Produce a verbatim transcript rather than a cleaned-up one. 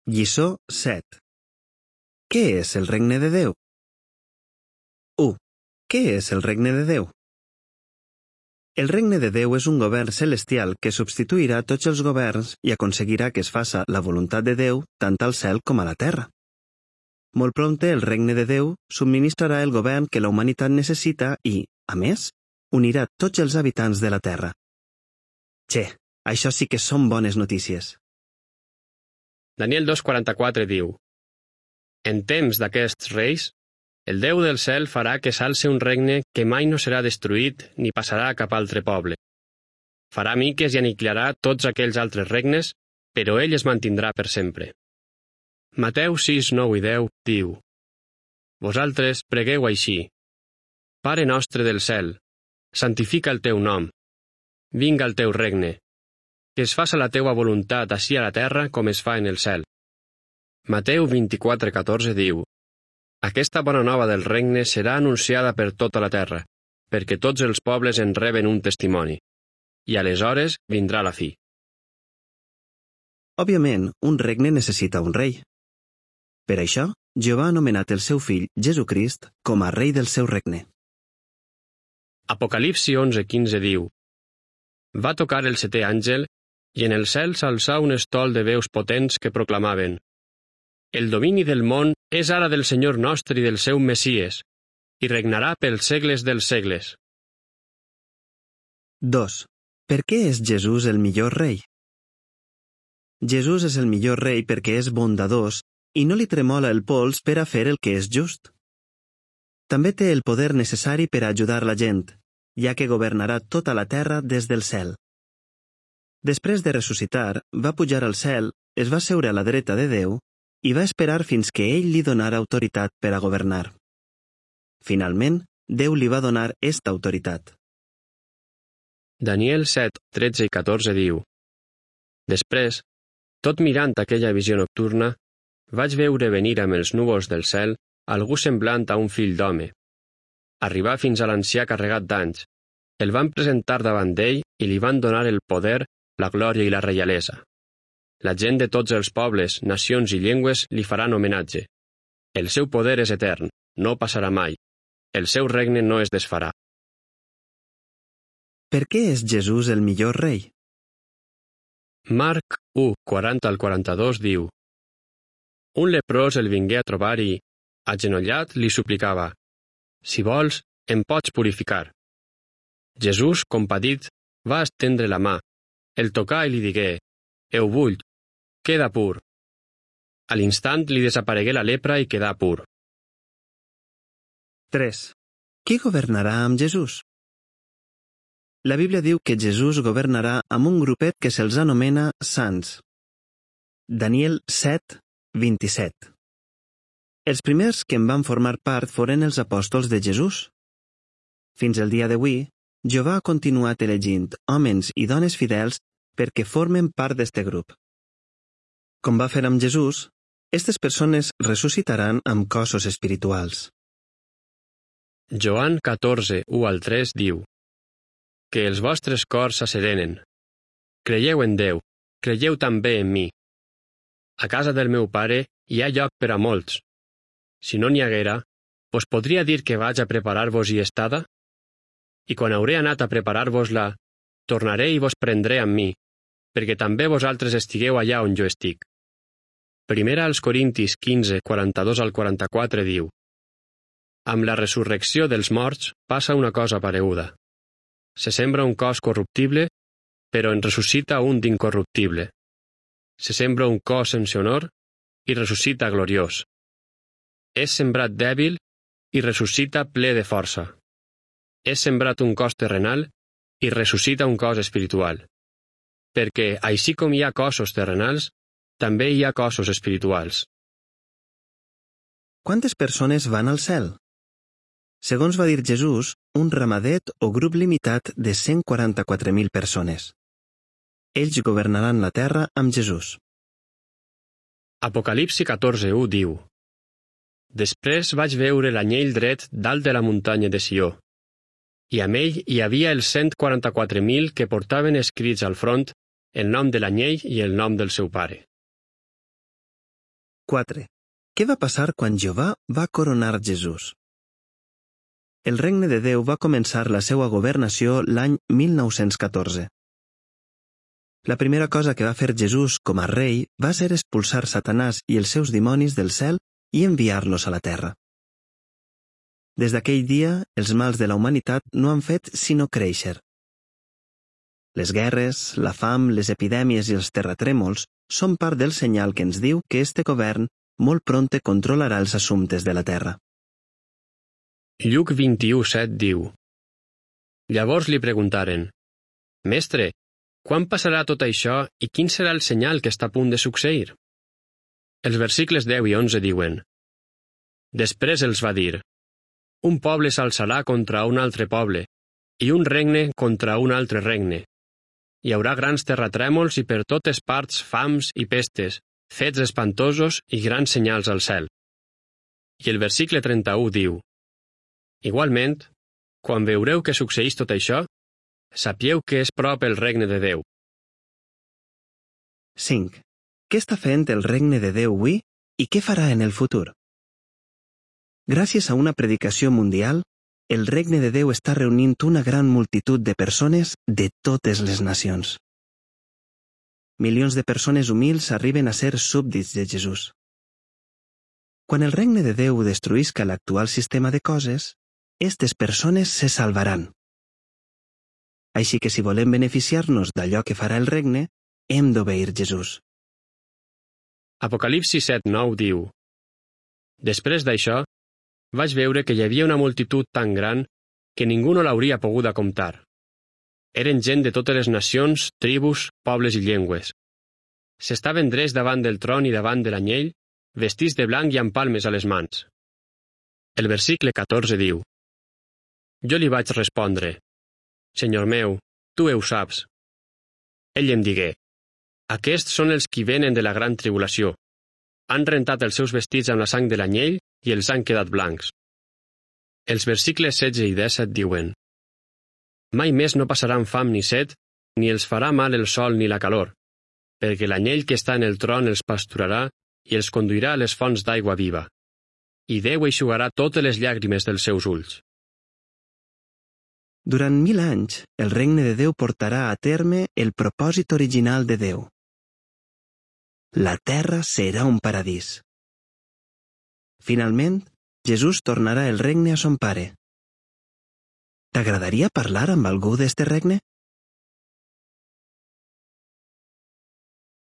Lliçó set. Què és el regne de Déu? u. Què és el regne de Déu? El regne de Déu és un govern celestial que substituirà tots els governs i aconseguirà que es faça la voluntat de Déu tant al cel com a la terra. Molt prompte el regne de Déu subministrarà el govern que la humanitat necessita i, a més, unirà tots els habitants de la terra. Che, això sí que són bones notícies. Daniel dos quaranta-quatre diu: En temps d'aquests reis, el Déu del cel farà que s'alce un regne que mai no serà destruït ni passarà a cap altre poble. Farà miques i aniquilarà tots aquells altres regnes, però ell es mantindrà per sempre. Mateu sis, nou i deu diu: Vosaltres pregueu així: Pare nostre del cel, santifica el teu nom. Vinga el teu regne. Que es faça la teua voluntat ací a la terra com es fa en el cel. Mateu vint-i-quatre, catorze diu: Aquesta bona nova del regne serà anunciada per tota la terra, perquè tots els pobles en reben un testimoni. I aleshores vindrà la fi. Òbviament, un regne necessita un rei. Per això, Jehovà ha anomenat el seu fill, Jesucrist, com a rei del seu regne. Apocalipsi onze, quinze diu: Va tocar el setè àngel, i en el cel s'alçà un estol de veus potents que proclamaven: El domini del món és ara del Senyor nostre i del seu Messies, i regnarà pels segles dels segles. dos. Per què és Jesús el millor rei? Jesús és el millor rei perquè és bondadós i no li tremola el pols per a fer el que és just. També té el poder necessari per a ajudar la gent, ja que governarà tota la terra des del cel. Després de ressuscitar, va pujar al cel, es va seure a la dreta de Déu i va esperar fins que ell li donara autoritat per a governar. Finalment, Déu li va donar esta autoritat. Daniel set, tretze i catorze diu: Després, tot mirant aquella visió nocturna, vaig veure venir amb els núvols del cel algú semblant a un fill d'home. Arribà fins a l'ancià carregat d'anys. El van presentar davant d'ell i li van donar el poder, la glòria i la reialesa. La gent de tots els pobles, nacions i llengües li faran homenatge. El seu poder és etern, no passarà mai. El seu regne no es desfarà. Per què és Jesús el millor rei? Marc u, quaranta al quaranta-dos diu: Un leprós el vingué a trobar i, agenollat, li suplicava: Si vols, em pots purificar. Jesús, compadit, va estendre la mà, el tocà i li digué: Ho vull, queda pur. A l'instant li desaparegué la lepra i quedà pur. tres. Qui governarà amb Jesús? La Bíblia diu que Jesús governarà amb un grupet que se'ls anomena sants. Daniel set, vint-i-set. Els primers que en van formar part foren els apòstols de Jesús. Fins al dia d'avui, Jehovà ha continuat elegint homes i dones fidels perquè formen part d'este grup. Com va fer amb Jesús, aquestes persones ressuscitaran amb cossos espirituals. Joan catorze, u al tres diu: Que els vostres cors s'asserenen. Creieu en Déu, creieu també en mi. A casa del meu pare hi ha lloc per a molts. Si no n'hi haguera, us podria dir que vaig a preparar-vos-hi estada? I quan hauré anat a preparar-vos-la, tornaré i vos prendré amb mi, perquè també vosaltres estigueu allà on jo estic. Primera als Corintis quinze, quaranta-dos al quaranta-quatre diu: Amb la resurrecció dels morts passa una cosa pareguda. Se sembra un cos corruptible, però en ressuscita un d'incorruptible. Se sembra un cos sense honor i ressuscita gloriós. És sembrat dèbil i ressuscita ple de força. És sembrat un cos terrenal i ressuscita un cos espiritual. Perquè, així com hi ha cossos terrenals, també hi ha cossos espirituals. Quantes persones van al cel? Segons va dir Jesús, un ramadet o grup limitat de cent quaranta-quatre mil persones. Ells governaran la terra amb Jesús. Apocalipsi catorze, u diu: Després vaig veure l'anyell dret dalt de la muntanya de Sió, i amb ell hi havia els cent quaranta-quatre mil que portaven escrits al front el nom de l'anyell i el nom del seu pare. quatre. Què va passar quan Jehovà va coronar Jesús? El regne de Déu va començar la seva governació l'any mil nou-cents catorze. La primera cosa que va fer Jesús com a rei va ser expulsar Satanàs i els seus dimonis del cel i enviar-los a la terra. Des d'aquell dia, els mals de la humanitat no han fet sinó créixer. Les guerres, la fam, les epidèmies i els terratrèmols són part del senyal que ens diu que este govern molt prompte controlarà els assumptes de la terra. Lluc vint-i-u set diu: Llavors li preguntaren: Mestre, quan passarà tot això i quin serà el senyal que està a punt de succeir? Els versícles deu i onze diuen: Després els va dir: Un poble s'alçarà contra un altre poble, i un regne contra un altre regne. Hi haurà grans terratrèmols i per totes parts fams i pestes, fets espantosos i grans senyals al cel. I el versícle trenta-u diu: Igualment, quan veureu que succeeix tot això, sapieu que és prop el regne de Déu. cinc. Què està fent el regne de Déu avui i què farà en el futur? Gràcies a una predicació mundial, el regne de Déu està reunint una gran multitud de persones de totes les nacions. Milions de persones humils arriben a ser súbdits de Jesús. Quan el regne de Déu destruïsca l'actual sistema de coses, aquestes persones se salvaran. Així que si volem beneficiar-nos d'allò que farà el regne, hem d'obeir Jesús. Apocalipsi set nou diu: Després d'això, vaig veure que hi havia una multitud tan gran que ningú no l'hauria pogut comptar. Eren gent de totes les nacions, tribus, pobles i llengües. S'estaven drets davant del tron i davant de l'anyell, vestits de blanc i amb palmes a les mans. El versicle catorze diu: Jo li vaig respondre: Senyor meu, tu ho saps. Ell em digué: Aquests són els qui venen de la gran tribulació. Han rentat els seus vestits amb la sang de l'anyell i els han quedat blancs. Els versicles setze i disset diuen: Mai més no passaran fam ni set, ni els farà mal el sol ni la calor, perquè l'anyell que està en el tron els pasturarà i els conduirà a les fonts d'aigua viva. I Déu eixugarà totes les llàgrimes dels seus ulls. Durant mil anys, el regne de Déu portarà a terme el propòsit original de Déu. La terra serà un paradís. Finalment, Jesús tornarà el regne a son pare. T'agradaria parlar amb algú d'este regne?